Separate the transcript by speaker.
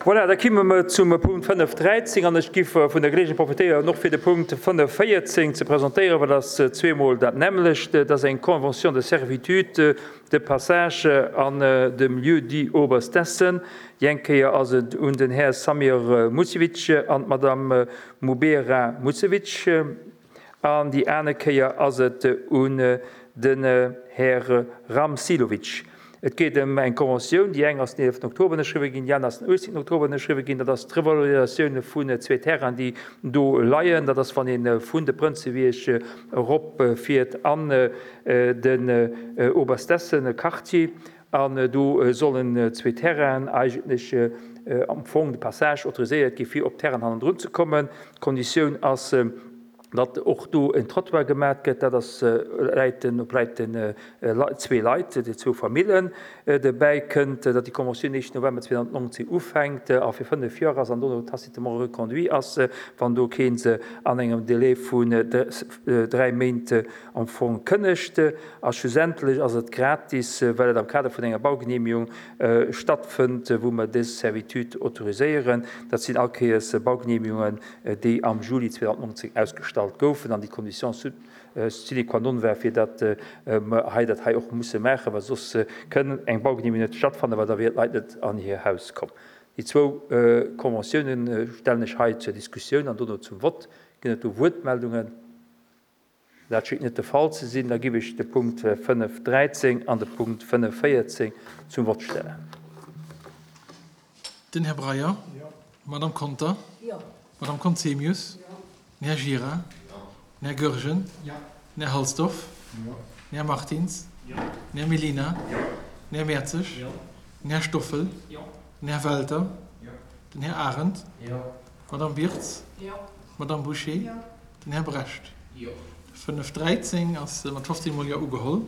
Speaker 1: Voilà, da kimme mer zum Punkt 5.13 an ech giff vun der Geleegenheet profitéieren, och fir de Punkt 5.14 ze presentéieren, well dat ass zweemol dat nämmlecht. Dat ass eng Convention de servitude de passage an dem Lieu-dit Oberstessen. Déi eng Kéier ass et un den Här Samir Mucevic an d'Madame Mubera Mucevic an déi aner Kéier ass et un den Här Ramsilovic. Et geet ëm eng Conventioun, déi eng ass den 11 Oktober ënnerschriwwe ginn, déi aner ass den 18 Oktober ënnerschriwwe ginn. Dat ass d'Revalorisatioun vun zwee Terrainen, déi do leien. Dat ass, wann ee vun de Prënzewierg eropfiert an den Oberstessen-Quartier. An do sollen zwee Terrainen eigentlech am Fong de Passage autoriséiert gi fir op d'Terrainen hannendrun ze kommen. D'Konditioun ass, datt och do en Trottoir gemat gëtt. Dat ass läit den op läit den zwee Leit, déi zwou Famillen. Dobäi kënnt, datt déi Conventioun éischten November 2019 ufänkt a fir 5 Joer ass an dono tacitement reconduit ass, wann do kee se an engem Délai vun 3 Méint am Fong kënnegt. A schlussendlech ass et gratis, well et am Kader vun enger Baugenehmigung stattfënnt, wou mer dës Servitude autoriséieren. Dat sinn all Kéiers Baugenehmigungen, déi am Juli 2019 ausgestallt goufen an déi Condition sine qua non war, fir datt mer hei dat hei och musse maachen, well soss kënn eng Baugenehmigung net stattfannen, well da wieren d'Leit net an hir Haus komm. Déi zwou Conventiounen stellen ech hei zur Diskussioun an dono zum Vott. Ginn et do Wuertmeldungen? Dat schéngt net de Fall ze sinn. Da giff ech de Punkt 5, 13 an de Punkt 5, 14 zum Vott stellen.
Speaker 2: Den Här Breyer. D'Madame Conter. D'Madame Conzemius. Den Här Gira. Den Här Goergen. Den Här Halsdorf. Den Här Martins. Den Här Mellina. Den Här Mertzig. Den Här Stoffel. Den Här Welter. Den Här Arendt. D'Madame Wirtz. D'Madame Bouché. Den Här Brecht. 5, 13 ass mat 15 mol Jo ugeholl.